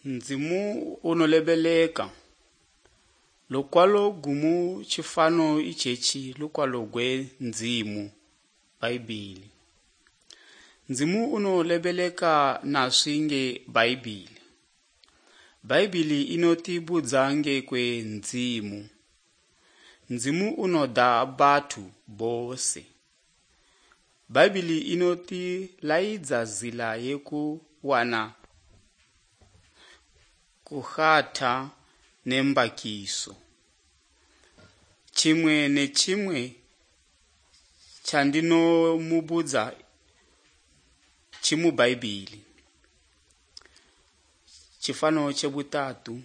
Ndzimu unolebeleka lukwalo gumu tshifano itshetshi lukwalo gwe ndzimu Bhaibhili. Ndzimu unolebeleka naswi nge Bhaibhili. Bhaibhili inotibudza ngekwe ndzimu. Ndzimu unoda bathu bose. Bhaibhili inotilaidza zila yekuwana kuhata nembakiso. Chimwe nechimwe chandinomubudza chimubhaibhili. Chifano chebutatu.